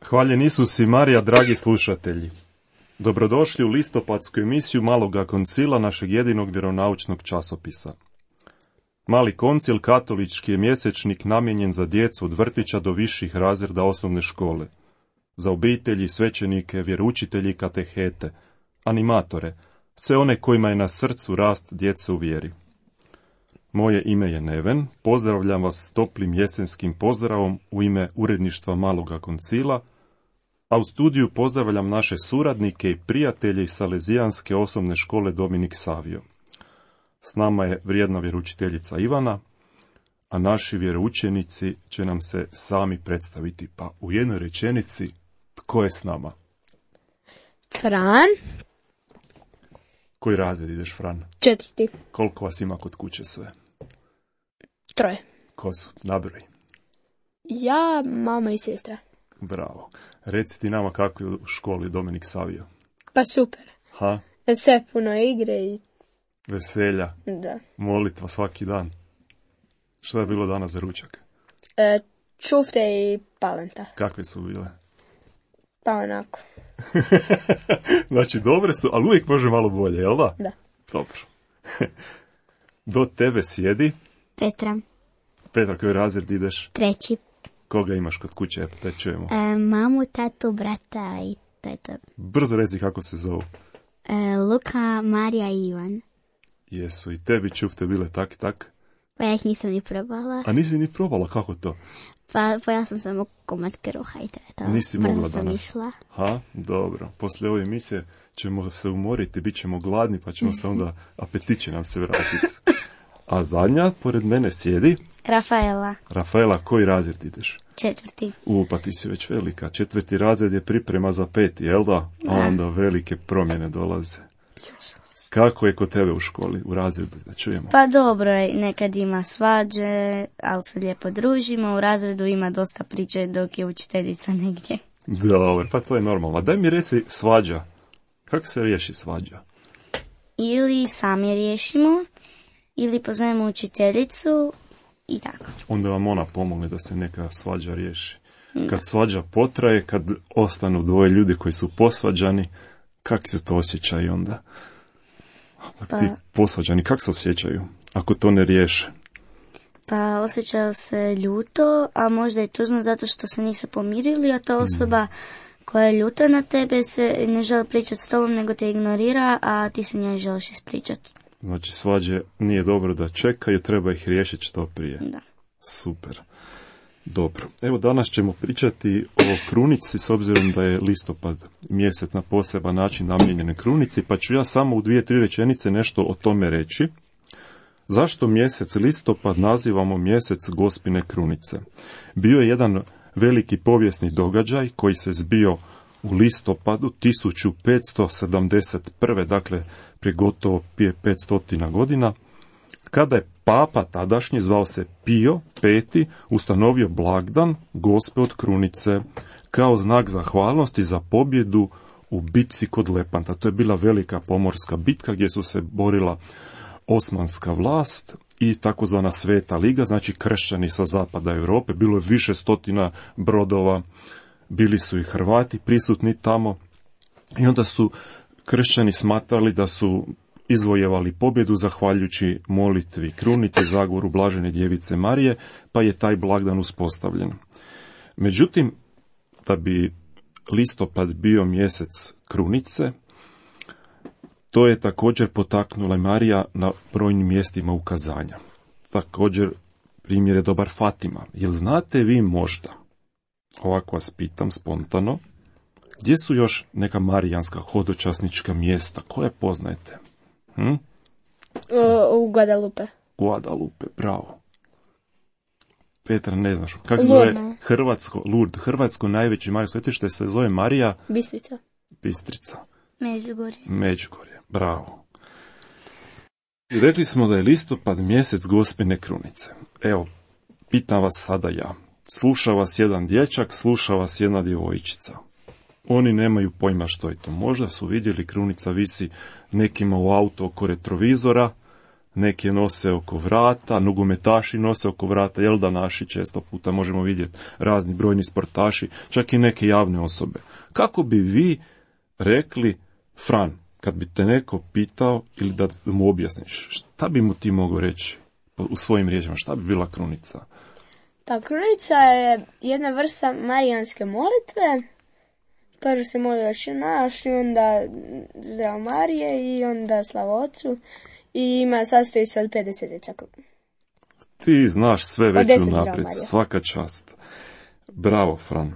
Hvaljen Isus i Marija, dragi slušatelji. Dobrodošli u listopadsku emisiju Maloga koncila, našeg jedinog vjeronaučnog časopisa. Mali koncil katolički je mjesečnik namijenjen za djecu od vrtića do viših razreda osnovne škole, za obitelji, svećenike, vjeroučitelji i katehete, animatore, sve one kojima je na srcu rast djece u vjeri. Moje ime je Neven, pozdravljam vas s toplim jesenskim pozdravom u ime uredništva Maloga koncila, a u studiju pozdravljam naše suradnike i prijatelje iz Salezijanske osnovne škole Dominik Savio. S nama je vrijedna vjeroučiteljica Ivana, a naši vjeroučenici će nam se sami predstaviti. Pa u jednoj rečenici, tko je s nama? Fran. Koji razred ideš, Fran? 4. Koliko vas ima kod kuće sve? 3. Ko su? Nabroj. Ja, mama i sestra. Bravo. Reci ti nama kako je u školi Dominik Savio. Pa super. Ha? Sve puno igre i... Veselja. Da. Molitva svaki dan. Što je bilo danas za ručak? Čufte i palenta. Kakve su bile? Pa onako. Znači, dobre su, ali uvijek može malo bolje, jel da? Da. Dobro. Do tebe sjedi. Petra. Petra, koji razred ideš? 3. Koga imaš kod kuće? Eto, te čujemo. Mamu, tatu, brata i to je to. Brzo reci kako se zovu. Luka, Marija i Ivan. Jesu i tebi čufte bile tak? Pa ja ih nisam ni probala. A nisi ni probala, kako to? Pa pojela sam samo komad kruha i to je to. Nisi mogla Brzo sam danas? išla. Ha, dobro. Poslije ove emisije ćemo se umoriti, bit ćemo gladni, pa ćemo se onda, apetit će nam se vratiti. A zadnja, pored mene sjedi Rafaela. Rafaela, koji razred ideš? 4. Pa ti si već velika. 4. razred je priprema za 5, jel da? A onda velike promjene dolaze. Kako je kod tebe u školi, u razredu, da čujemo? Pa dobro je, nekad ima svađe, ali se lijepo družimo, u razredu ima dosta priče dok je učiteljica negdje. Dobro, pa to je normalno. A daj mi reci svađa. Kako se riješi svađa? Ili sami riješimo, ili pozovemo učiteljicu i tako. Onda vam ona pomogne da se neka svađa riješi. Kad svađa potraje, kad ostanu dvoje ljudi koji su posvađani, kako se to osjećaju onda? Ti posvađani, kako se osjećaju ako to ne riješe? Pa osjećaju se ljuto, a možda i tužno zato što se nisu pomirili, a ta osoba koja je ljuta na tebe se ne želi pričati s tobom, nego te ignorira, a ti se njoj želiš ispričati. Znači, svađe nije dobro da čekaju, treba ih riješiti što prije. Da. Super. Dobro. Evo, danas ćemo pričati o krunici, s obzirom da je listopad mjesec na poseban način namijenjen krunici, pa ću ja samo u 2-3 rečenice nešto o tome reći. Zašto mjesec listopad nazivamo mjesec Gospine krunice? Bio je jedan veliki povijesni događaj koji se zbio u listopadu 1571. Dakle, prije gotovo 500 godina, kada je papa tadašnji, zvao se Pio V, ustanovio blagdan Gospe od krunice kao znak zahvalnosti za pobjedu u bitci kod Lepanta. To je bila velika pomorska bitka gdje su se borila osmanska vlast i takozvana Sveta liga, znači kršćani sa zapada Europe. Bilo je više stotina brodova, bili su i Hrvati prisutni tamo i onda su kršćani smatrali da su izvojevali pobjedu zahvaljujući molitvi krunice, zagovoru blažene djevice Marije, pa je taj blagdan uspostavljen. Međutim, da bi listopad bio mjesec krunice, to je također potaknula Marija na brojnim mjestima ukazanja. Također, primjer je dobar Fatima. Jel znate vi možda, ovako vas pitam spontano, gdje su još neka marijanska hodočasnička mjesta koje poznajete? U Guadalupe. Guadalupe, bravo. Petra, ne znaš. Kako se zove Lourdes, hrvatsko najveće Marije svetište se zove Marija Bistrica. Međugorje, bravo. I rekli smo da je listopad mjesec Gospine krunice. Evo, pitam vas sada ja. Sluša vas jedan dječak, sluša vas jedna djevojčica. Oni nemaju pojma što je to. Možda su vidjeli krunica visi nekima u auto oko retrovizora, Neki je nose oko vrata, nogometaši nose oko vrata, jel da naši često puta možemo vidjeti razni brojni sportaši, čak i neke javne osobe. Kako bi vi rekli, Fran, kad bi te neko pitao ili da mu objasniš, šta bi mu ti mogao reći u svojim riječima, šta bi bila krunica? Pa krunica je jedna vrsta marijanske molitve. Prvo se moli Oče naš i onda Zdravo Marije i onda Slava Otcu i sastoji se od 5 desetica. Ti znaš sve već unaprijed, svaka čast. Bravo, Fran.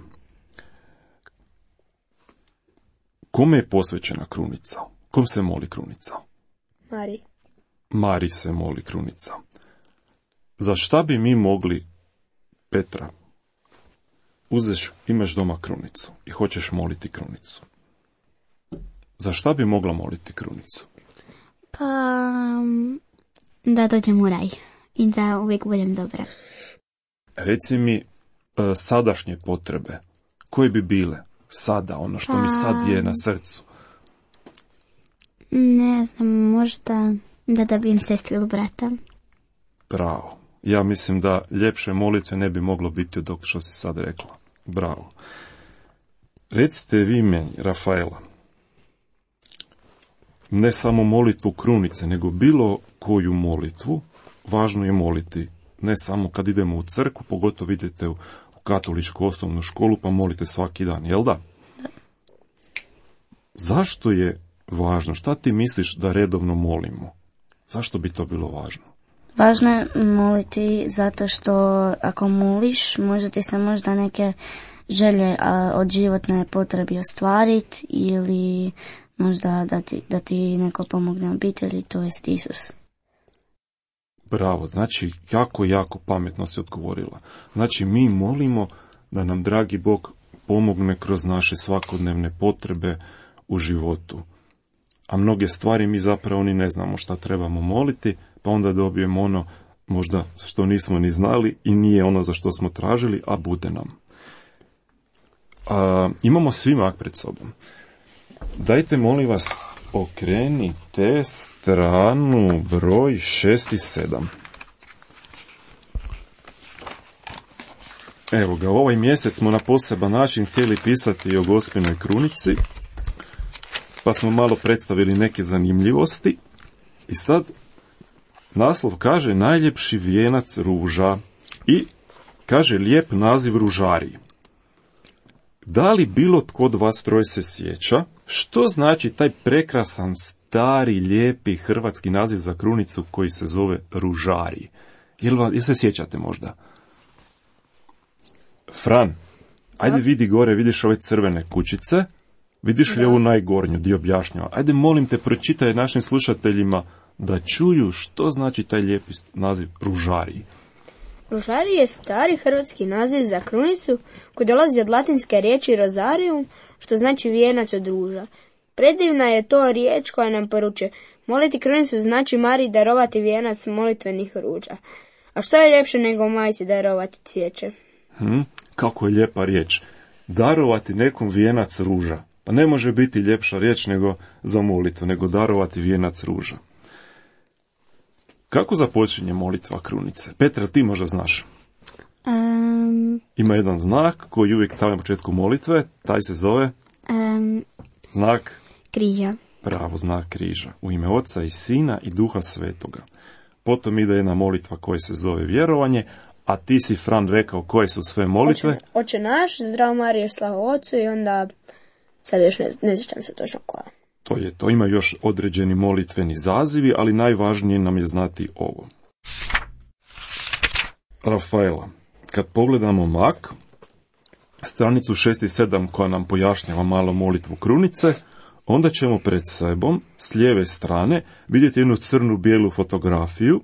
Kome je posvećena krunica? Kom se moli krunica? Mariji. Mariji se moli krunica. Za šta bi mi mogli, Petra, imaš doma krunicu i hoćeš moliti krunicu. Za šta bi mogla moliti krunicu? Pa, da dođem u raj i da uvijek budem dobra. Reci mi sadašnje potrebe. Koje bi bile sada, ono što mi sad je na srcu? Ne znam, možda da dobijem sestru ili brata. Bravo. Ja mislim da ljepše molitve ne bi moglo biti od ovog što si sad rekla. Bravo. Recite vi meni, Rafaela, ne samo molitvu krunice, nego bilo koju molitvu, važno je moliti. Ne samo kad idemo u crkvu, pogotovo idete u katoličku osnovnu školu, pa molite svaki dan, jel da? Zašto je važno? Šta ti misliš da redovno molimo? Zašto bi to bilo važno? Važno je moliti zato što ako moliš, može ti se možda neke želje od životne potrebi ostvariti ili možda da ti neko pomogne obitelji, to jest Isus. Bravo, znači jako pametno si odgovorila. Znači mi molimo da nam dragi Bog pomogne kroz naše svakodnevne potrebe u životu. A mnoge stvari mi zapravo ni ne znamo šta trebamo moliti, pa onda dobijemo ono možda što nismo ni znali i nije ono za što smo tražili, a bude nam. Imamo svi mak pred sobom. Dajte, molim vas, okrenite stranu broj 6 i 7. Evo ga, ovaj mjesec smo na poseban način htjeli pisati o Gospinoj krunici, pa smo malo predstavili neke zanimljivosti. I sad naslov kaže najljepši vijenac ruža i kaže lijep naziv ružariji. Da li bilo tko od vas troje se sjeća što znači taj prekrasan, stari, lijepi hrvatski naziv za krunicu koji se zove ružarij? Jel se sjećate možda? Fran, ajde vidi gore, vidiš ove crvene kućice, vidiš li ovu najgornju gdje objašnjava? Ajde, molim te, pročitaj našim slušateljima da čuju što znači taj lijepi naziv ružarij. Ružarij je stari hrvatski naziv za krunicu koji dolazi od latinske riječi rozarium, što znači vijenac od ruža. Predivna je to riječ koja nam poručuje: moliti krunicu znači Mariji darovati vijenac molitvenih ruža. A što je ljepše nego majci darovati cvijeće? Kako je lijepa riječ. Darovati nekom vijenac ruža. Pa ne može biti ljepša riječ nego za molitvu, nego darovati vijenac ruža. Kako započinje molitva krunice? Petra, ti možda znaš? Ima jedan znak koji uvijek stavlja na početku molitve, taj se zove znak križa. Pravo, znak križa. U ime Oca i Sina i Duha Svetoga. Potom ide jedna molitva koja se zove vjerovanje, a ti si, Fran, rekao koje su sve molitve? Oče naš, Zdravo Marije, Slava Otcu i onda sad još ne sjećam se točno koja. To ima još određeni molitveni zazivi, ali najvažnije nam je znati ovo. Rafaela, kad pogledamo mak, stranicu 6 i 7 koja nam pojašnjava malo molitvu krunice, onda ćemo pred sebom, s lijeve strane, vidjeti jednu crnu-bijelu fotografiju.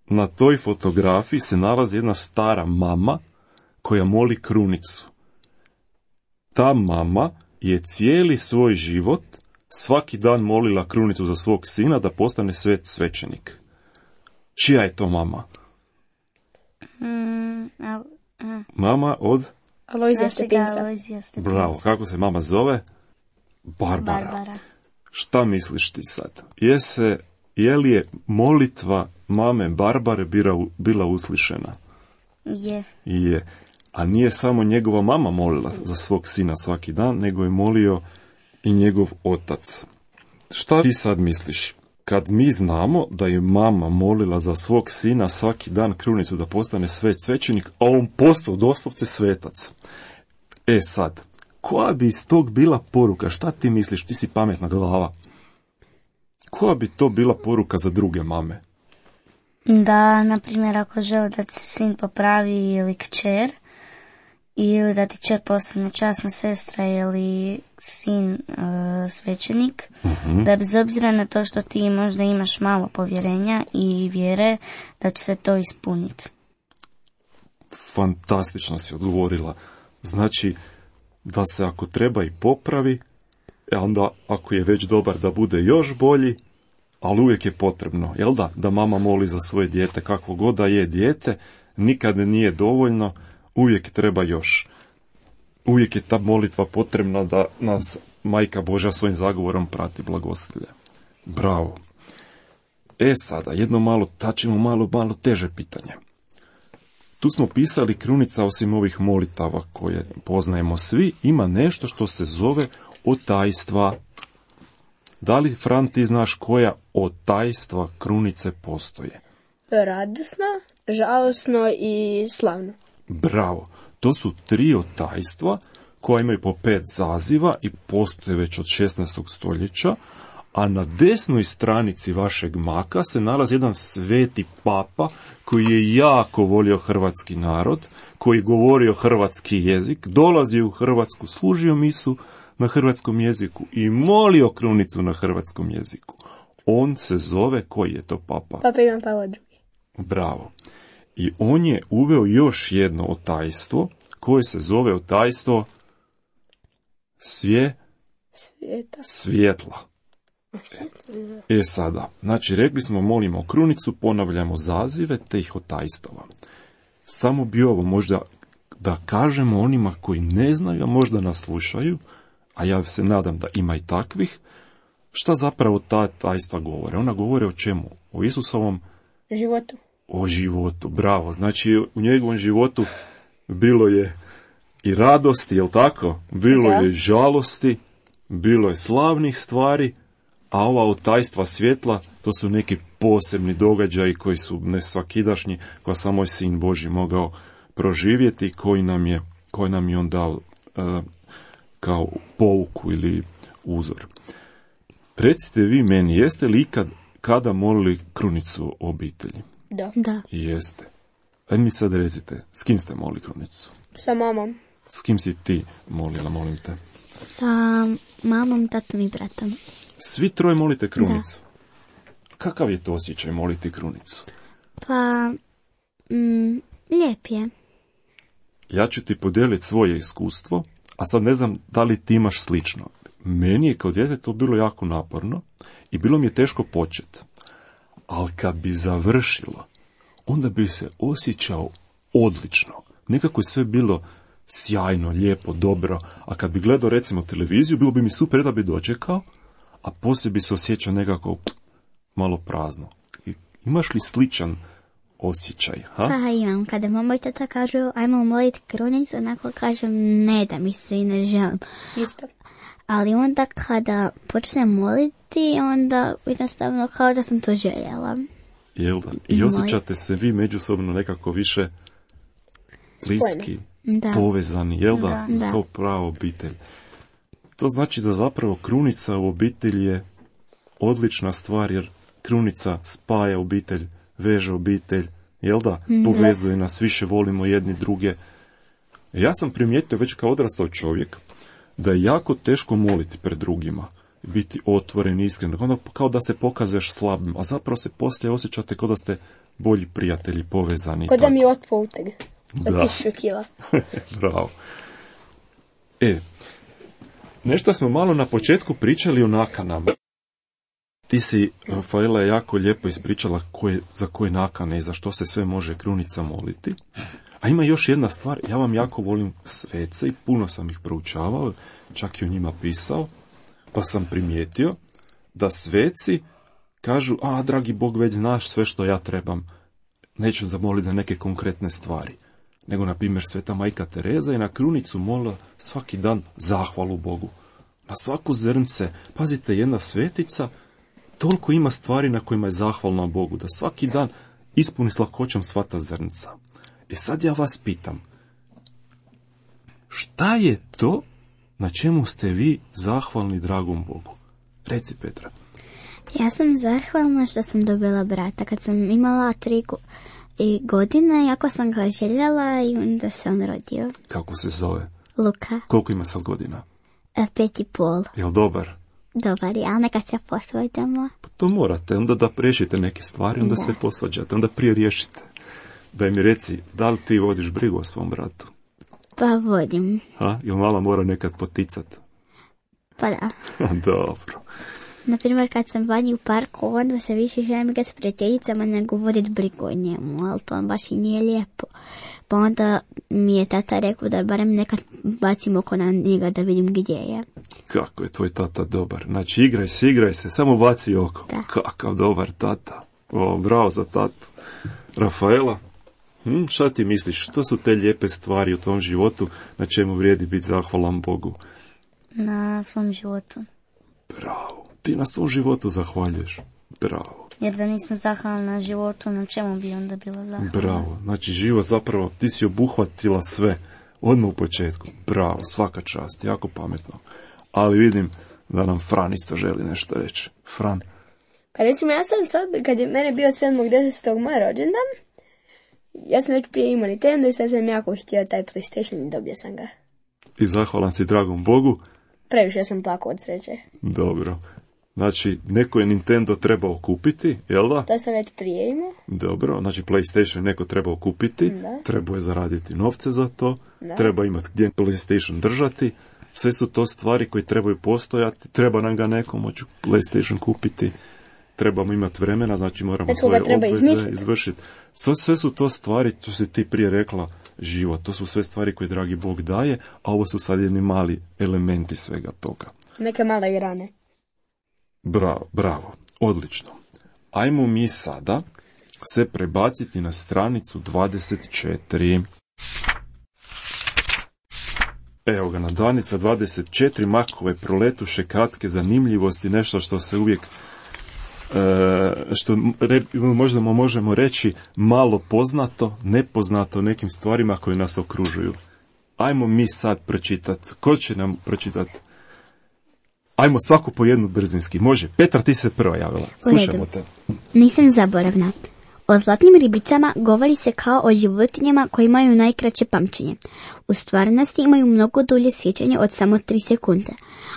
Na toj fotografiji se nalazi jedna stara mama koja moli krunicu. Ta mama je cijeli svoj život svaki dan molila krunicu za svog sina da postane svećenik. Čija je to mama? Mama od? Alojzija Stepinca. Bravo, kako se mama zove? Barbara. Šta misliš ti sad? Je se je li je molitva mame Barbare bila uslišena? Je. A nije samo njegova mama molila za svog sina svaki dan, nego je molio i njegov otac. Šta ti sad misliš? Kad mi znamo da je mama molila za svog sina svaki dan krunicu da postane svećenik, a on postao doslovce svetac. Sad, koja bi iz tog bila poruka? Šta ti misliš? Ti si pametna glava. Koja bi to bila poruka za druge mame? Da, na primjer, ako želi da ti sin popravi ili kćer, ili da ti kćer postane časna sestra ili sin svećenik, da bez obzira na to što ti možda imaš malo povjerenja i vjere, da će se to ispuniti. Fantastično si odgovorila. Znači, da se ako treba i popravi, onda ako je već dobar da bude još bolji, ali uvijek je potrebno, jel da mama moli za svoje dijete, kakvo god da je dijete, nikad nije dovoljno, uvijek treba još. Uvijek je ta molitva potrebna da nas Majka Božja svojim zagovorom prati blagoslovlje. Bravo. Sada, jedno malo teže pitanje. Tu smo pisali krunica, osim ovih molitava koje poznajemo svi, ima nešto što se zove otajstva. Da li, Fran, ti znaš koja otajstva krunice postoje? Radosno, žalosno i slavno. Bravo. To su 3 otajstva koja imaju po 5 zaziva i postoje već od 16. stoljeća, a na desnoj stranici vašeg maka se nalazi jedan sveti papa koji je jako volio hrvatski narod, koji govorio hrvatski jezik, dolazio u Hrvatsku, služio misu na hrvatskom jeziku i molio krunicu na hrvatskom jeziku. On se zove, koji je to papa? Papa Ivan Pavao II. Bravo. I on je uveo još jedno otajstvo koje se zove otajstvo svjetla. Sada, znači rekli smo molimo krunicu, ponavljamo zazive te ih otajstava. Samo bi ovo možda da kažemo onima koji ne znaju, a možda nas slušaju, a ja se nadam da ima i takvih, šta zapravo ta tajstva govore? Ona govore o čemu? O Isusovom životu. O životu, bravo. Znači u njegovom životu bilo je i radosti, jel tako? Bilo je žalosti, bilo je slavnih stvari, a ova otajstva svjetla, to su neki posebni događaji koji su nesvakidašnji, koja samo je Sin Božji mogao proživjeti, koji nam je on dao kao pouku ili uzor. Recite vi meni, jeste li ikad kada molili krunicu obitelji? Da. Jeste. Ajde mi sad recite, s kim ste molili krunicu? Sa mamom. S kim si ti molila, molim te? Sa mamom, tatom i bratom. Svi 3 molite krunicu? Da. Kakav je to osjećaj moliti krunicu? Pa, lijep je. Ja ću ti podijeliti svoje iskustvo, a sad ne znam da li ti imaš slično. Meni je kao dijete to bilo jako naporno i bilo mi je teško početi. Ali kad bi završilo, onda bi se osjećao odlično. Nekako je sve bilo sjajno, lijepo, dobro. A kad bi gledao recimo televiziju, bilo bi mi super da bi dočekao, a poslije bi se osjećao nekako malo prazno. Imaš li sličan osjećaj? Ha? Pa imam. Kada mama i tata kažu ajmo moliti krunicu, onako kažem ne da mi se i ne želim. Isto. Ali onda kada počnem moliti, onda jednostavno kao da sam to željela. Jel da? I osjećate se vi međusobno nekako više bliski, povezani, jel da? Kao prava obitelj. To znači da zapravo krunica u obitelji je odlična stvar, jer krunica spaja obitelj, veže obitelj, jel da? Povezuje nas, više volimo jedni druge. Ja sam primijetio već kao odrastao čovjek da je jako teško moliti pred drugima, biti otvoren, iskren, onda kao da se pokazuješ slabim, a zapravo se poslije osjećate kao da ste bolji prijatelji, povezani. Kao da mi otpo uteg. Da. 1000 kila. Bravo. Nešto smo malo na početku pričali o nakanama. Ti si, Rafaela, jako lijepo ispričala za koje nakane i za što se sve može krunica moliti. A ima još jedna stvar, ja vam jako volim svece i puno sam ih proučavao, čak i o njima pisao, pa sam primijetio da sveci kažu, dragi Bog, već znaš sve što ja trebam. Neću zamoliti za neke konkretne stvari. Nego, na primjer, Sveta majka Tereza je na krunicu molila svaki dan zahvalu Bogu. Na svaku zrnce, pazite, jedna svetica toliko ima stvari na kojima je zahvalna Bogu, da svaki dan ispuni s lakoćom sva ta zrnca. Sad ja vas pitam, šta je to na čemu ste vi zahvalni dragom Bogu? Reci, Petra. Ja sam zahvalna što sam dobila brata. Kad sam imala 3 godine, jako sam ga željela i onda se on rodio. Kako se zove? Luka. Koliko ima sad godina? 5,5. Jel dobar? Dobar je, ali nekad se posvađamo. Pa to morate, onda da riješite neke stvari, onda se posvađate, onda prije riješite. Daj mi reci, da li ti vodiš brigu o svom bratu? Pa vodim. Jel mala mora nekad poticat? Pa da. Dobro. Naprimjer, kad sam vani u parku, onda se više želim igrati s prijateljicama nego voditi brigu o njemu, ali to baš i nije lijepo. Pa onda mi je tata rekao da barem nekad bacim oko na njega da vidim gdje je. Kako je tvoj tata dobar. Znači, igraj se, samo baci oko. Da. Kakav dobar tata. Bravo za tatu. Rafaela, šta ti misliš? Što su te lijepe stvari u tom životu na čemu vrijedi biti zahvalan Bogu? Na svom životu. Bravo. Ti na svom životu zahvaljuješ. Bravo. Jer da nisam zahvalna na životu, na čemu bi onda bila zahvalna? Bravo. Znači, život zapravo, ti si obuhvatila sve. Odmah u početku. Bravo, svaka čast. Jako pametno. Ali vidim da nam Fran isto želi nešto reći. Fran. Pa recimo, ja sam sad, kad je mene bio 7.10. moj rođendan, ja sam već prije imao Nintendo i sad sam jako htio taj PlayStation i dobio sam ga. I zahvalan si dragom Bogu? Previše sam plakao od sreće. Dobro. Znači, neko je Nintendo trebao kupiti, jel da? To sam već prije imao. Dobro, znači PlayStation neko trebao kupiti, trebao je zaraditi novce za to, treba imati gdje PlayStation držati, sve su to stvari koje trebaju postojati, treba nam ga neko moći PlayStation kupiti, trebamo imati vremena, znači moramo svoje obveze izvršiti. Sve su to stvari, to si ti prije rekla, život, to su sve stvari koje dragi Bog daje, a ovo su sad jedni mali elementi svega toga. Neke male grane. Bravo, odlično. Ajmo mi sada se prebaciti na stranicu 24. Evo ga, na stranica 24, Makove proletuše kratke zanimljivosti, nešto što se uvijek, što možda možemo reći malo poznato, nepoznato nekim stvarima koje nas okružuju. Ajmo mi sad pročitati. Ko će nam pročitati? Ajmo svaku po jednu brzinski. Može. Petra, ti se prva javila. Slušamo te. Nisam zaboravna. O zlatnim ribicama govori se kao o životinjama koje imaju najkraće pamćenje. U stvarnosti imaju mnogo dulje sjećanje od samo 3 sekunde,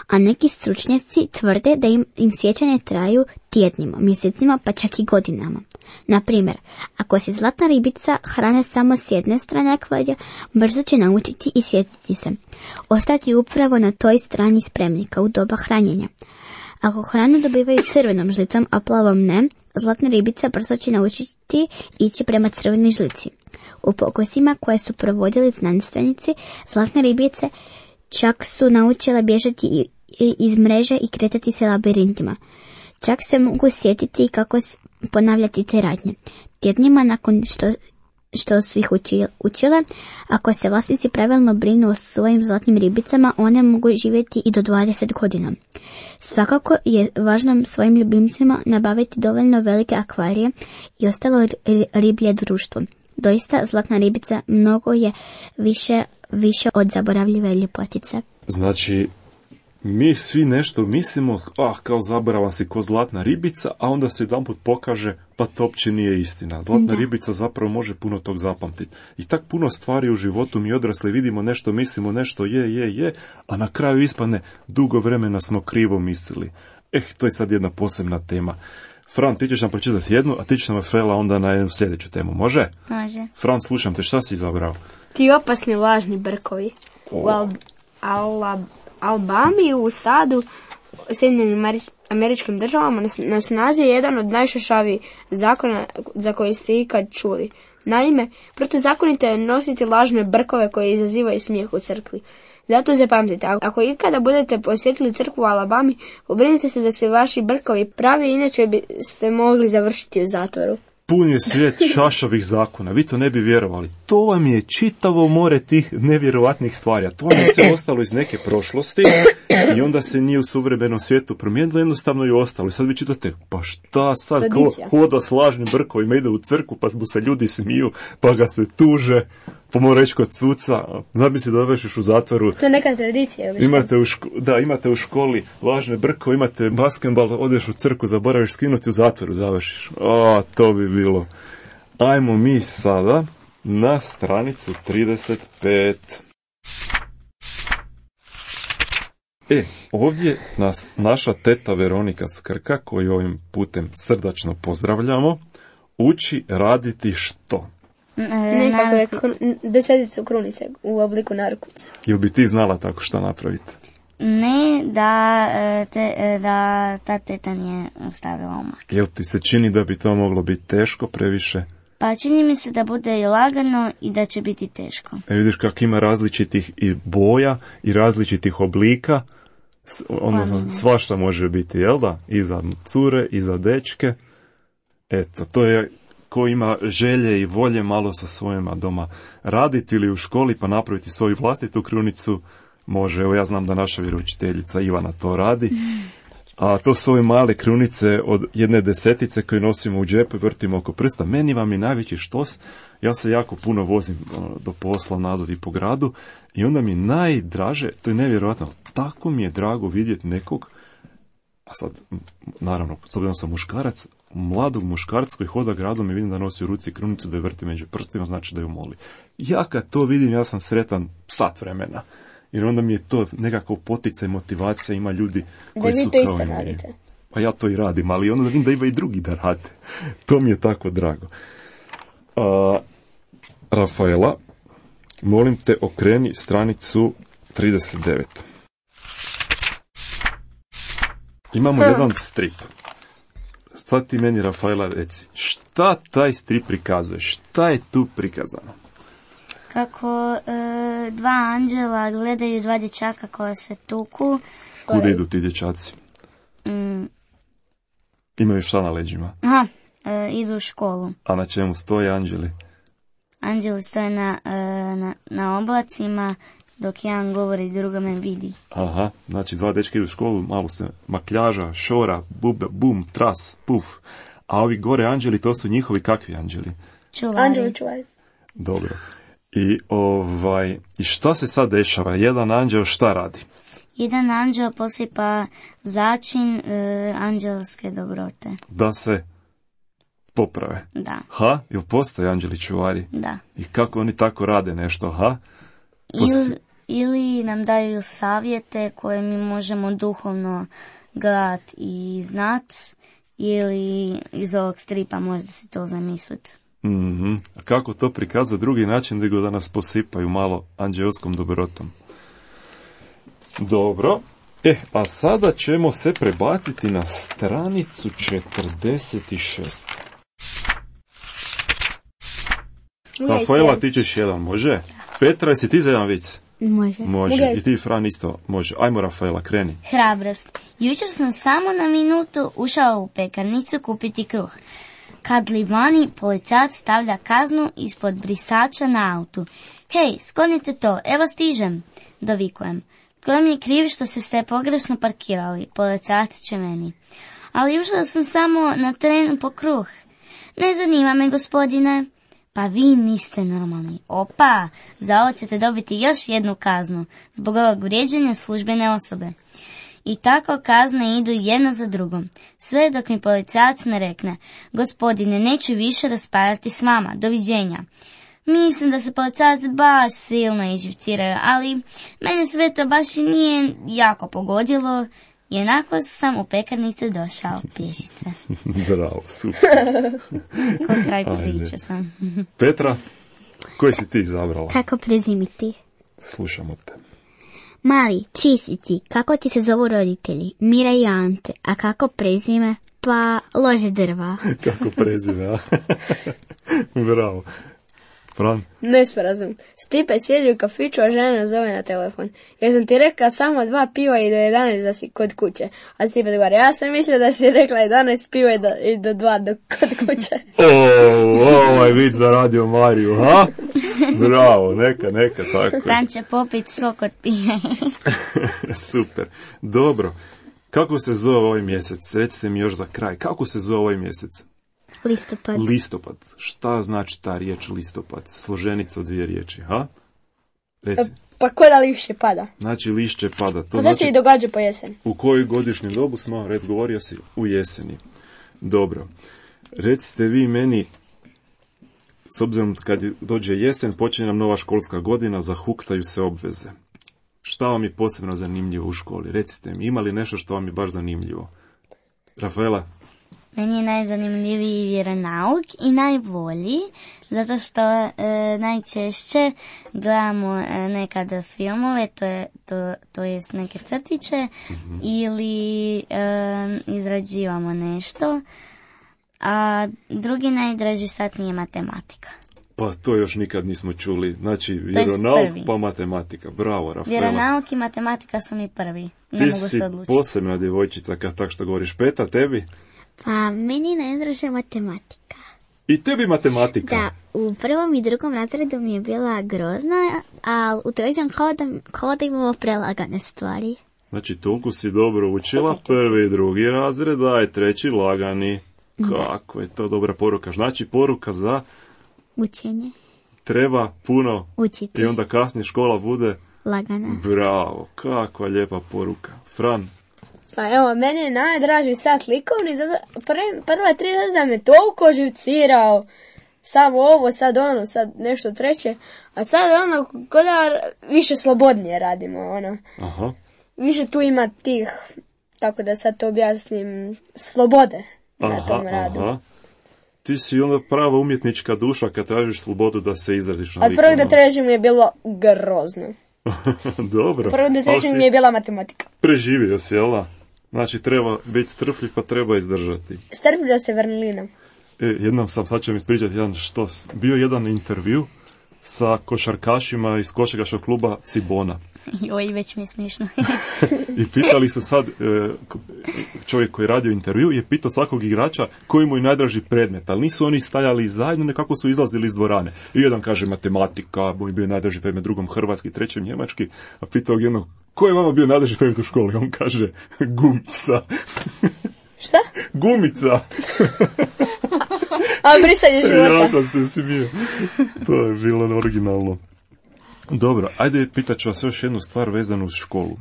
a neki stručnjaci tvrde da im sjećanje traju tjednima, mjesecima pa čak i godinama. Na primjer, ako se zlatna ribica hrane samo s jedne strane akvarija, brzo će naučiti i sjetiti se. Ostati upravo na toj strani spremnika u doba hranjenja. Ako hranu dobivaju crvenom žlicom, a plavom ne, zlatna ribica brzo će naučiti ići prema crvenoj žlici. U pokusima koje su provodili znanstvenici, zlatne ribice čak su naučile bježati iz mreže i kretati se labirintima. Čak se mogu sjetiti i kako ponavljati te radnje. Tjednima nakon što su ih učile, ako se vlasnici pravilno brinu o svojim zlatnim ribicama, one mogu živjeti i do 20 godina. Svakako je važno svojim ljubimcima nabaviti dovoljno velike akvarije i ostalo riblje društvo. Doista, zlatna ribica mnogo je više od zaboravljive ljepotice. Znači, mi svi nešto mislimo, kao zaboravan si ko zlatna ribica, a onda se jedanput pokaže, pa to uopće nije istina. Zlatna ribica zapravo može puno tog zapamtiti. I tak puno stvari u životu mi odrasli vidimo nešto, mislimo nešto je, a na kraju ispadne dugo vremena smo krivo mislili. To je sad jedna posebna tema. Fran, ti ćeš nam pročitati jednu, a ti ćeš nam Fela onda na jednu sljedeću temu. Može? Može. Fran, slušam te, šta si izabrao? Ti opasni lažni brkovi. U Albami u sadu Sjedinjenim Američkim državama na snazi je jedan od najšašavijih zakona za koji ste ikad čuli. Naime, protuzakonito je nositi lažne brkove koje izazivaju smijeh u crkvi. Zato zapamtite, ako ikada budete posjetili crkvu u Alabami, pobrinite se da se vaši brkovi pravi, inače biste mogli završiti u zatvoru. Pun je svijet šašavih zakona, vi to ne bi vjerovali. To vam je čitavo more tih nevjerovatnih stvari, a to vam je sve ostalo iz neke prošlosti i onda se nije u suvremenom svijetu promijenilo, jednostavno je ostalo. I sad vi čitate, pa šta sad, hoda s lažnim brkovima, ide u crkvu, pa mu se ljudi smiju, pa ga se tuže, pa mora reći kod suca, zamisli da završiš u zatvoru. To je neka tradicija. Imate u školi lažne brkove, imate basketbal, odeš u crkvu, zaboraviš skinuti, u zatvoru završiš. To bi bilo. Ajmo mi sada na stranicu 35. Ovdje nas naša teta Veronika Skrka, koju ovim putem srdačno pozdravljamo, uči raditi što? Nekako je deseticu krunice u obliku narukvice. Jel bi ti znala tako što napraviti? Ne, da ta teta nije stavila umak. Jel ti se čini da bi to moglo biti teško previše? Pa čini mi se da bude i lagano i da će biti teško. Vidiš kako ima različitih i boja i različitih oblika. Svašta može biti, jel da? I za cure, i za dečke. Eto, to je ko ima želje i volje malo sa svojima doma raditi ili u školi pa napraviti svoju vlastitu krunicu, može. Evo ja znam da naša vjeroučiteljica Ivana to radi. A to su ove male krunice od 1/10 koje nosimo u džepu i vrtimo oko prsta. Meni vam je najveći štos. Ja se jako puno vozim do posla nazad i po gradu i onda mi najdraže, to je nevjerojatno, tako mi je drago vidjeti nekog, a sad, naravno, s obzirom sam muškarac, mladog muškarca koji hoda gradom i vidim da nosi u ruci krunicu, da je vrti među prstima, znači da ju moli. Ja kad to vidim, ja sam sretan sat vremena. Jer onda mi je to nekako poticaj, motivacija, ima ljudi koji su kao i meni. Pa ja to i radim, ali onda vidim da ima i drugi da rade. To mi je tako drago. Rafaela, molim te okreni stranicu 39. Imamo jedan strip. Sad ti meni, Rafaela, reci, šta taj strip prikazuje? Šta je tu prikazano? Kako dva anđela gledaju dva dječaka koja se tuku. Kuda idu ti dječaci? Imaju šta na leđima? Idu u školu. A na čemu stoje anđeli? Anđeli stoje na oblacima, dok jedan govori, drugome vidi. Aha, znači dva dečka idu u školu, malo se makljaža, šora, bum, tras, puf. A ovi gore anđeli, to su njihovi kakvi anđeli? Čuvari. Anđeli čuvari. Dobro. I šta se sad dešava? Jedan anđel šta radi? Jedan anđel posipa začin anđelske dobrote. Da se poprave? Da. Jel postoje anđeli čuvari? Da. I kako oni tako rade nešto, Ili nam daju savjete koje mi možemo duhovno gledati i znat, ili iz ovog stripa možete si to zamisliti. A kako to prikazati drugi način nego da nas posipaju malo anđelskom dobrotom? Dobro. A sada ćemo se prebaciti na stranicu 46. Rafaela, ti ćeš jedan, može? Petra, jesi ti za jedan vic? Može. I ti, Fran, isto može. Ajmo, Rafaela, kreni. Hrabrost. Jučer sam samo na minutu ušao u pekarnicu kupiti kruh. Kad li vani policajac stavlja kaznu ispod brisača na autu. Hej, sklonite to, evo stižem, dovikujem. Tko mi je kriv što ste pogrešno parkirali, policajac će meni. Ali ušao sam samo na tren po kruh. Ne zanima me, gospodine. Pa vi niste normalni. Opa, za ovo ćete dobiti još jednu kaznu, zbog ovog vrijeđanja službene osobe. I tako kazne idu jedna za drugom, sve dok mi policajac ne rekne, gospodine, neću više raspravljati s vama, doviđenja. Mislim da se policajac baš silno iživciraju, ali mene sve to baš i nije jako pogodilo, jednako sam u pekarnicu došao pješice. Bravo, super. Kod kraj priče sam. Petra, koji si ti izabrala? Kako prezimiti? Slušamo te. Mali, čiji si ti? Kako ti se zovu roditelji? Mira i Ante. A kako prezime? Pa, lože drva. Kako prezime, a? Bravo. Fran? Nesporazum. Stipe sjedi u kafiću, a žena zove na telefon. Ja sam ti rekla samo 2 piva i do 11 da si kod kuće. A Stipe odgovara, ja sam mislila da si rekla 11 piva i do 2 kod kuće. Ovaj vic za Radio Mariju, ha? Bravo, neka, tako. Fran će popit sok od pive. Super. Dobro. Kako se zove ovaj mjesec? Recite mi još za kraj. Kako se zove ovaj mjesec? Listopad. Listopad. Šta znači ta riječ listopad? Složenica od 2 riječi, ha? Reci. Pa ko da lišće pada? Znači lišće pada. To Pa znači, se i događa po jeseni. U kojoj godišnjem dobu smo? Red, govorio si u jeseni. Dobro. Recite vi meni, s obzirom kad dođe jesen, počinje nam nova školska godina, zahuktaju se obveze. Šta vam je posebno zanimljivo u školi? Recite mi, ima li nešto što vam je baš zanimljivo? Rafaela? Meni je najzanimljiviji vjeronauk i najbolji, zato što najčešće gledamo nekada filmove, to jest neke crtiće, ili izrađivamo nešto, a drugi najdraži sat mi je matematika. Pa to još nikad nismo čuli. Znači, vjeronauk pa matematika. Bravo, Rafaela. Vjeronauk i matematika su mi prvi. Ne Ti mogu si se odlučiti. posebna djevojčica kad tak što govoriš. Peta, tebi? Pa, meni najdraža matematika. I tebi matematika? Da, u prvom i drugom razredu mi je bila grozna, a u trećem kao da imamo prelagane stvari. Znači, toliko si dobro učila, prvi i drugi razred, a je treći lagani. Kako je to dobra poruka. Znači, poruka za Učenje. Treba puno Učiti. i onda kasnije škola bude Lagana. Bravo, kakva lijepa poruka. Fran? Pa evo, meni je najdraži sat likovni, prva 3 razreda me toliko živcirao. Samo ovo, sad ono, sad nešto treće. A sad ono, ko da više slobodnije radimo, ono. Aha. Više tu ima tih, tako da sad to objasnim, slobode na tom radu. Aha. Ti si onda prava umjetnička duša kad tražiš slobodu da se izradiš na Od likovnom. prvog do trećeg mi je bilo grozno. Dobro. Od prvog do trećeg mi je bila matematika. Preživio si, jel da? Znači treba biti strpljiv pa treba izdržati. Strpljio se vrlinom. Jednom sad ću vam ispričati jedan štos. Bio jedan intervju sa košarkašima iz košarkaškog kluba Cibona. Joj, već mi je smiješno. I pitali su sad, čovjek koji je radio intervju je pitao svakog igrača koji mu je najdraži predmet, ali nisu oni stajali zajedno, nekako su izlazili iz dvorane. I jedan kaže matematika, moj bio najdraži predmet, drugom hrvatski, trećem njemački, a pitao jednog, ko je vama bio najdraži predmet u školi? On kaže, gumica. Šta? Gumica. A brisanje života. Ja sam se smio. To je bilo originalno. Dobro, ajde pitat ću vas još jednu stvar vezanu uz školu.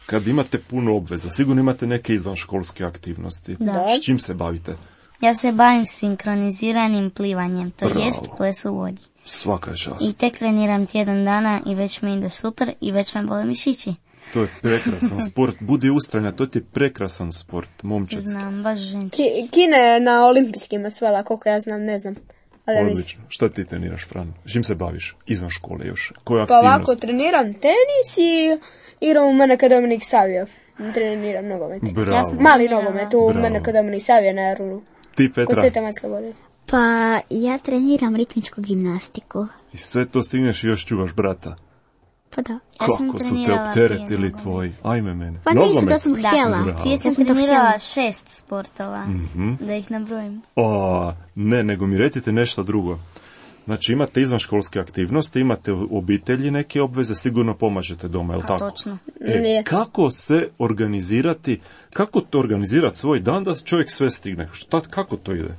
Kad imate puno obveza, sigurno imate neke izvanškolske aktivnosti. Da. S čim se bavite? Ja se bavim sinkroniziranim plivanjem, to Bravo. jest ples u vodi. Svaka I čast. tek treniram tjedan dana i već mi ide super i već me bole mišići. To je prekrasan sport. Budi ustrajna, to ti je prekrasan sport, momčadski. Znam, baš ženski. Kina je na olimpijskim osvojila, koliko ja znam, ne znam. Ali mislim. Odlično. Šta ti treniraš, Fran? S čim se baviš? Izvan škole još. Koja Pa aktivnost? ovako, treniram tenis i igram u Meneka Dominik Savio. Treniram nogomet. Bravo. Ja sam- Mali nogomet u Bravo. Meneka Dominik Savio na Jarunu. Ti, Kod Petra, Svete Matske vode. Pa, ja treniram ritmičku gimnastiku. i sve to stigneš i još čuvaš brata. Pa da. Ja sam Kako su te trenirala opteretili prije tvoji? Ajme mene. Pa nisu, Nogomet? to sam htjela. Bravo. Prije sam Ja sam to trenirala htjela. 6 sportova, da ih nabrojim. O, ne, nego mi recite nešto drugo. Znači imate izvanškolske aktivnosti, imate u obitelji neke obveze, sigurno pomažete doma, je li Pa tako? točno. Nije. Kako se organizirati, kako to organizirati svoj dan da čovjek sve stigne? Kako to ide?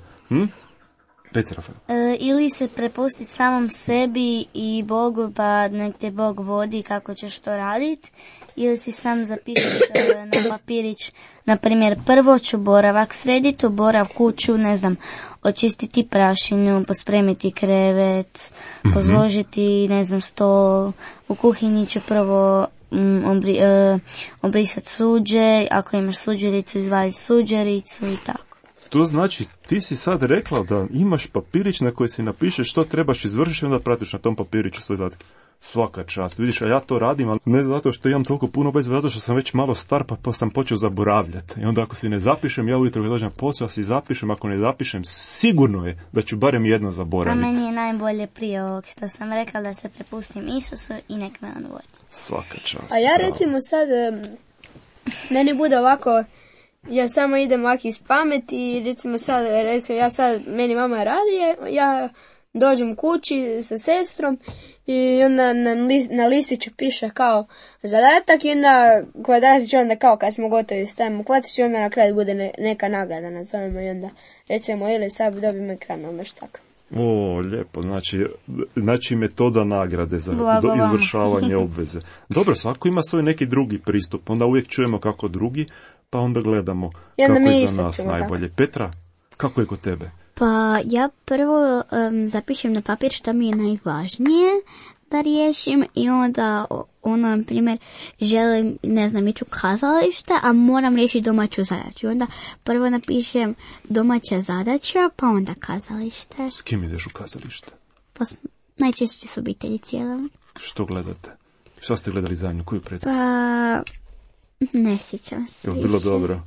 Reci, Rafael. Ili se prepustiti samom sebi i Bogu, pa nek te Bog vodi kako ćeš to raditi, ili si sam zapišeš na papirić, na primjer, prvo ću boravak srediti, borav kuću, ne znam, očistiti prašinu, pospremiti krevet, pozložiti, ne znam, stol, u kuhinji ću prvo obrisati suđe, ako imaš suđericu, izvaditi suđericu i tako. To znači, ti si sad rekla da imaš papirić na koji si napišeš što trebaš izvršiti i onda pratiš na tom papiriću svoje zadatke. Svaka čast. Vidiš, a ja to radim, ali ne zato što imam toliko puno obaveza, zato što sam već malo star, pa sam počeo zaboravljati. I onda ako si ne zapišem, ja ujutro kad dođem na posao, si zapišem, ako ne zapišem, sigurno je da ću barem jedno zaboraviti. A meni je najbolje prije ovog što sam rekla da se prepustim Isusu i nek me on vodi. Svaka čast. A ja recimo sad, meni bude ovako, ja samo idem ovako iz pameti i recimo meni mama radi, ja dođem kući sa sestrom i onda na listiću piše kao zadatak i onda kvadratić onda kao kad smo gotovi stavimo kvatić i onda na kraju bude neka nagrada nazovemo i onda recimo ili sad dobim ekran ili nešto tako. O, lijepo, znači metoda nagrade za izvršavanje obveze. Dobro, svako ima svoj neki drugi pristup, onda uvijek čujemo kako drugi, pa onda gledamo kako je za nas najbolje. Tako. Petra, kako je kod tebe? Pa ja prvo zapišem na papir što mi je najvažnije da riješim i onda na primjer, želim, ići u kazalište, a moram riješiti domaću zadaću. Onda prvo napišem domaća zadaća, pa onda kazalište. S kim ideš u kazalište? Pa najčešće s obitelji cijelom. Što gledate? Što ste gledali zajedno? Koju predstavu? Pa ne sjećam se. Je li bilo dobro?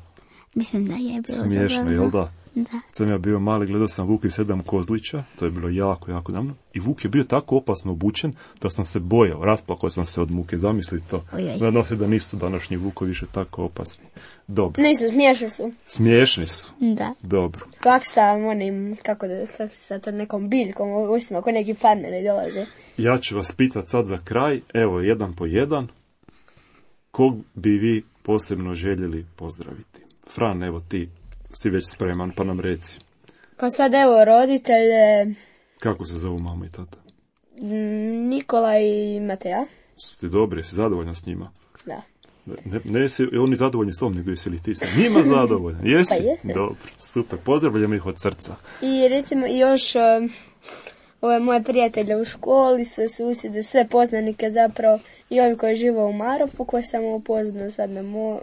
Mislim da je bilo smiješno, dobro. Jel da? Da. Sam ja bio mali, gledao sam Vuk i 7 kozlića, to je bilo jako, jako davno. I Vuk je bio tako opasno obučen da sam se bojao, rasplakao sam se od muke, zamisli to. Nadam se da nisu današnji Vukovi više tako opasni. Dobro. Nisu, smiješni su. Smiješni su? Da. Dobro. Pak sa onim, kako sa to nekom biljkom, usima, ako neki farmeri dolaze. Ja ću vas pitat sad za kraj, evo, jedan po jedan. Kog bi vi posebno željeli pozdraviti? Fran, evo ti si već spreman, pa nam reci. Pa sad evo roditelje... Kako se zovu mama i tata? Nikola i Mateja. Su ti dobri, jesi zadovoljan s njima? Da. Ne jesi oni zadovoljni s tom, nego jesi li ti sa njima zadovoljan? Jesi? Pa jesam. Dobro, super, pozdravljam ih od srca. I recimo još ove moje prijatelje u školi, sve susjede, sve poznanike zapravo i ovi koji žive u Marofu, koje sam upoznao sad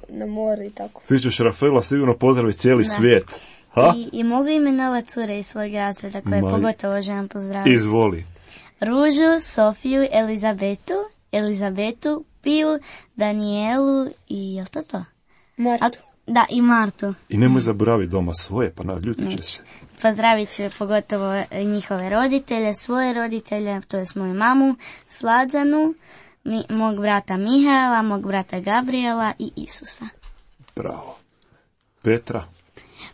na moru i tako. Ti ćeš Rafaela sigurno pozdraviti cijeli svijet. Ha? I mogu imenovati cure iz svojeg razreda koje pogotovo želim pozdraviti. Izvoli. Ružu, Sofiju, Elizabetu, Piju, Danijelu i je to? Martu. Da, i Martu. I nemoj zaboraviti doma svoje, pa naljutit će se. Pozdravit ću pogotovo njihove roditelje, svoje roditelje, to je moju mamu, Slađanu, mog brata Mihaela, mog brata Gabriela i Isusa. Bravo. Petra?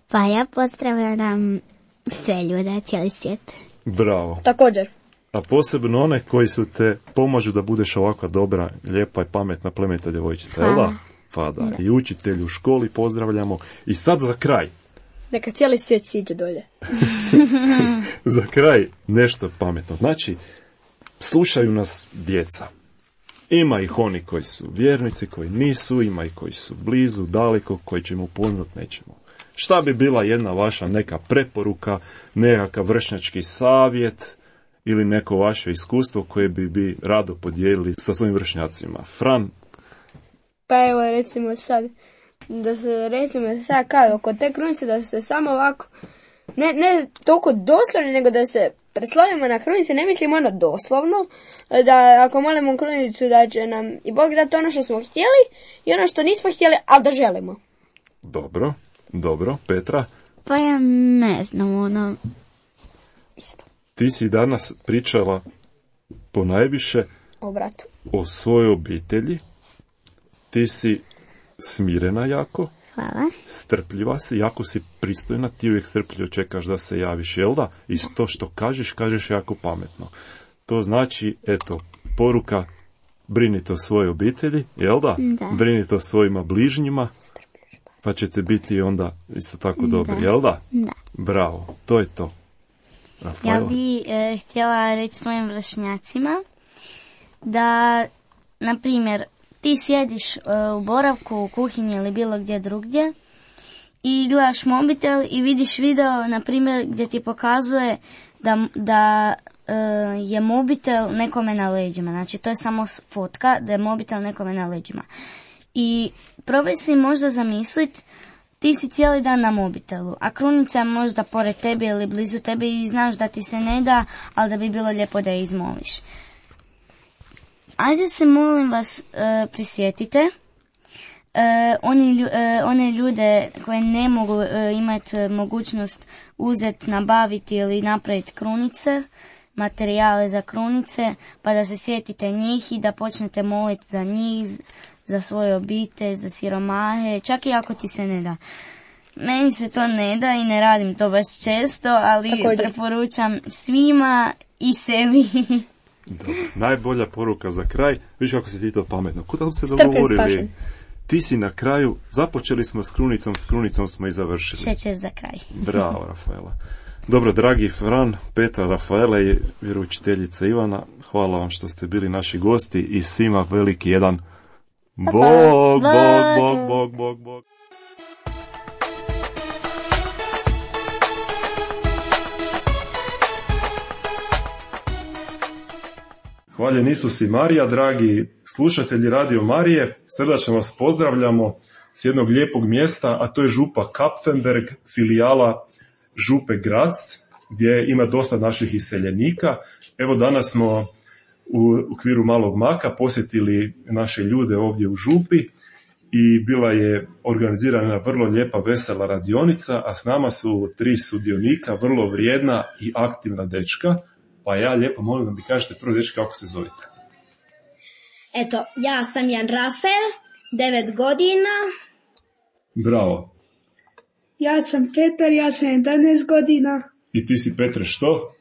Pa ja pozdravljam sve ljude, cijeli svijet. Bravo. Također. A posebno one koji su te pomažu da budeš ovakva dobra, lijepa i pametna plemenita djevojčica, jel da? Pa da. I učitelju u školi pozdravljamo. I sad za kraj. Neka cijeli svijet siđe dolje. Za kraj nešto pametno. Znači, slušaju nas djeca. Ima ih oni koji su vjernici, koji nisu, ima ih koji su blizu, daleko, koji ćemo upoznat, nećemo. Šta bi bila jedna vaša neka preporuka, nekakav vršnjački savjet ili neko vaše iskustvo koje bi rado podijelili sa svojim vršnjacima? Fran? Pa evo recimo sad, kao kod te krunice da se samo ovako, ne toliko doslovno, nego da se preslonimo na krunicu, ne mislimo ono doslovno, da ako molimo krunicu da će nam i Bog dati ono što smo htjeli i ono što nismo htjeli, ali da želimo. Dobro, Petra? Pa ja ne znam, isto. Ti si danas pričala ponajviše o bratu, o svojoj obitelji. Ti si smirena jako. Hvala. Strpljiva si, jako si pristojna, ti uvijek strpljivo čekaš da se javiš, jel da? I to što kažeš jako pametno. To znači, eto, poruka, brinite o svojoj obitelji, jel da? Da. Brinite o svojima bližnjima, pa ćete biti onda isto tako dobri, jel da? Da. Bravo, to je to. Rafaela? Ja bi htjela reći svojim vršnjacima da, na primjer, ti sjediš u boravku, u kuhinji ili bilo gdje drugdje i gledaš mobitel i vidiš video, na primjer, gdje ti pokazuje da je mobitel nekome na leđima. Znači, to je samo fotka da je mobitel nekome na leđima. I probaj si možda zamisliti ti si cijeli dan na mobitelu, a krunica je možda pored tebe ili blizu tebe i znaš da ti se ne da, ali da bi bilo lijepo da je izmoliš. Ajde se, molim vas, prisjetite one ljude koje ne mogu imati mogućnost uzeti, nabaviti ili napraviti krunice, materijale za krunice, pa da se sjetite njih i da počnete moliti za njih, za svoje obitelj, za siromahe, čak i ako ti se ne da. Meni se to ne da i ne radim to baš često, ali preporučam svima i sebi. Dobro. Najbolja poruka za kraj, vidiš kako si ti to pametno. Kuda se dogovorili? Ti si na kraju, započeli smo s krunicom smo i završili. Šećer za kraj. Bravo, Rafaela. Dobro, dragi Fran, Petra, Rafaela i vjeroučiteljica Ivana, hvala vam što ste bili naši gosti i svima veliki jedan Bog, Bog, Bog, Bog, Bog, Bog. Hvaljen Isus i Marija, dragi slušatelji Radio Marije, srdačno vas pozdravljamo s jednog lijepog mjesta, a to je župa Kapfenberg, filijala župe Graz, gdje ima dosta naših iseljenika. Evo danas smo u okviru Malog Maka posjetili naše ljude ovdje u župi i bila je organizirana vrlo lijepa vesela radionica, a s nama su 3 sudionika, vrlo vrijedna i aktivna dečka. Pa ja lijepo molim da mi kažete prvo dečki kako se zovete. Eto, ja sam Jan Rafael, 9 godina. Bravo. Ja sam Petar, ja sam 11 godina. I ti si Petre što?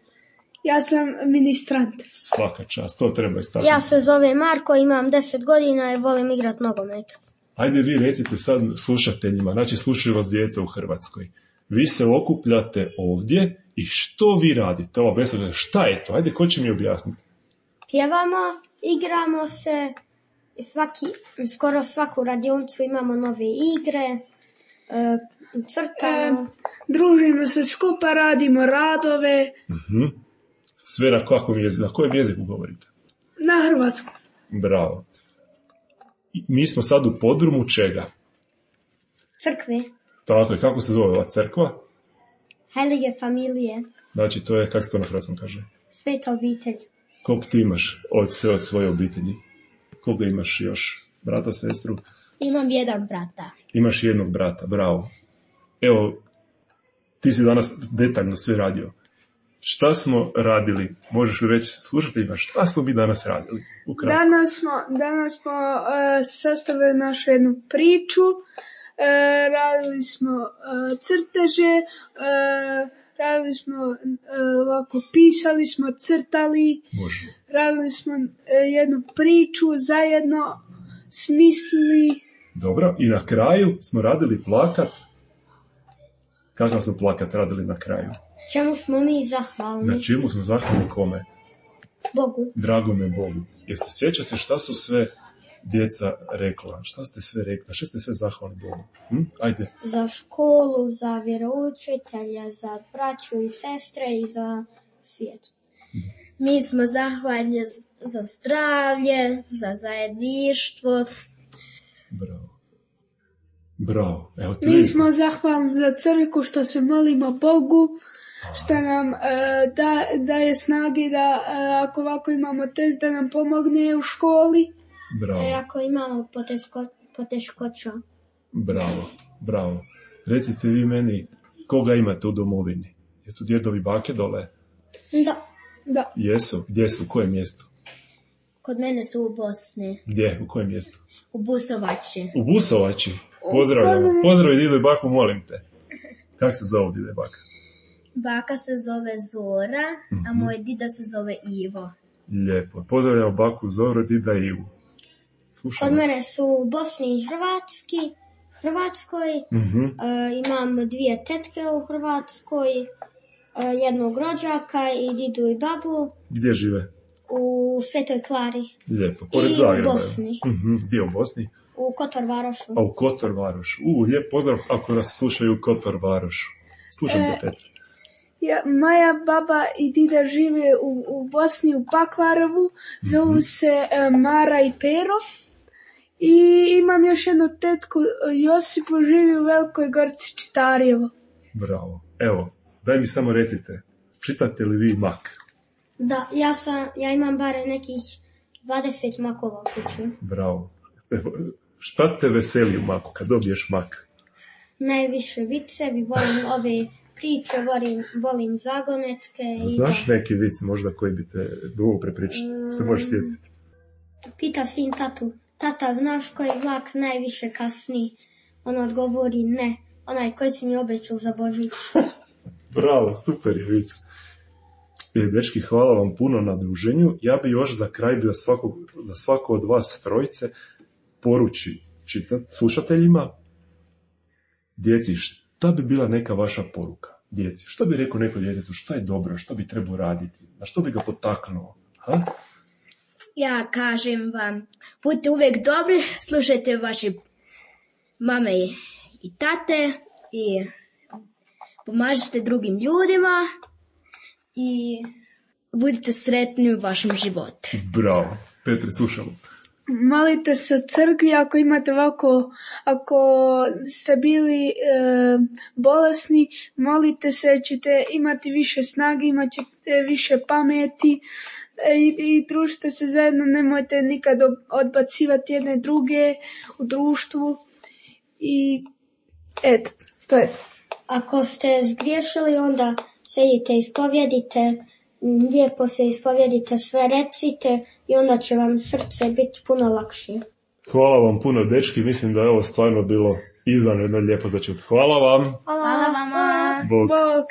Ja sam ministrant. Svaka čast, to treba istaknuti. Ja se zovem Marko, imam 10 godina i volim igrat nogomet. Ajde vi recite sad slušateljima, znači slušaju vas djeca u Hrvatskoj. Vi se okupljate ovdje i što vi radite? Ova vesela, šta je to? Ajde, ko će mi objasniti? Pjevamo, igramo se, skoro svaku radionicu imamo nove igre, crtamo. Družimo se skupa, radimo radove. Sve na kakvom jeziku? Na kojem jeziku govorite? Na hrvatskom. Bravo. Mi smo sad u podrumu čega? Crkve. Tako je, kako se zove ova crkva? Heilige Familije. Znači, to je, kako se to na hrvatskom kaže? Sveta obitelj. Koliko ti imaš od svoje obitelji? Koliko imaš još? Brata, sestru? Imam jedan brata. Imaš jednog brata, bravo. Evo, ti si danas detaljno sve radio. Šta smo radili? Možeš reći slušateljima, šta smo mi danas radili? Danas smo sastavili našu jednu priču, radili smo crteže, radili smo ovako, pisali smo, crtali, radili smo jednu priču, zajedno smislili. Dobro, i na kraju smo radili plakat. Kakav smo plakat radili na kraju? Čemu smo mi zahvalni? Na čemu smo zahvalni kome? Bogu. Dragome Bogu. Jeste sjećate šta su sve djeca rekla? Šta ste sve rekli? Šta ste sve zahvalni Bogu? Ajde. Za školu, za vjeroučitelja, za braću i sestre i za svijet. Mi smo zahvalni za zdravlje, za zajedništvo. Bravo. Evo, mi smo zahvalni za crkvu što se molimo Bogu, što nam daje snage da ako ovako imamo test da nam pomogne u školi. Bravo. Ako imamo poteškoća. Bravo. Recite vi meni, koga imate u domovini? Jesu djedovi bake dole? Da. Jesu? Gdje su? U kojem mjestu? Kod mene su u Bosni. Gdje? U kojem mjestu? U Busovači. U Busovači? Pozdravljamo. Pozdravi dido i baku, molim te. Kako se zove dido i baka? Baka se zove Zora, a moj dida se zove Ivo. Lijepo. Pozdravljamo baku Zoru, dida i Ivu. Kod mene su u Bosni i Hrvatskoj. Imam 2 tetke u Hrvatskoj, jednog rođaka i didu i babu. Gdje žive? U Svetoj Klari. Lijepo. Pored Zagreba. U Bosni. Gdje u Bosni? U Kotor Varošu. A u Kotor Varošu. Lijep pozdrav ako nas slušaju u Kotor Varošu. Slušam te, Petra. Moja baba i dida žive u Bosni, u Paklarevu. Zovu se Mara i Pero. I imam još jednu tetku, Josipu, živi u Velikoj Gorici, Čitarjevo. Bravo. Evo, daj mi samo recite, čitate li vi mak? Da, ja imam bar nekih 20 makova u kući. Bravo. Evo, šta te veseli u maku kad dobiješ mak? Najviše vicevi, volim ove priče, volim zagonetke. Znaš neki vic možda koji bi te dugo prepričati, se možeš sjetiti? Pita sin tatu, tata, znaš koji vlak najviše kasni? On odgovori, ne, onaj koji si mi obećao za Božić. Bravo, super je vic. Dečki, hvala vam puno na druženju. Ja bi još za kraj da svako od vas trojice poruči slušateljima, djeci, šta bi bila neka vaša poruka? Djeci, što bi rekao neko djetetu, šta je dobro, što bi trebao raditi, na što bi ga potaknuo? Ha? Ja kažem vam, budite uvijek dobri, slušajte vaše mame i tate i pomažite drugim ljudima i budite sretni u vašem životu. Bravo. Petre, slušamo. Molite se u crkvi ako imate ovako, ako ste bili bolesni, molite se, ćete imati više snage, imat ćete više pameti i družite se zajedno, nemojte nikad odbacivati jedne druge u društvu i eto, to je to. Ako ste zgriješili, onda sedite, ispovjedite, lijepo se ispovjedite, sve recite i onda će vam srce biti puno lakše. Hvala vam puno, dečki, mislim da je ovo stvarno bilo izvanredno lijepo za čut. Hvala vam. Hvala vama. Bog. Bog.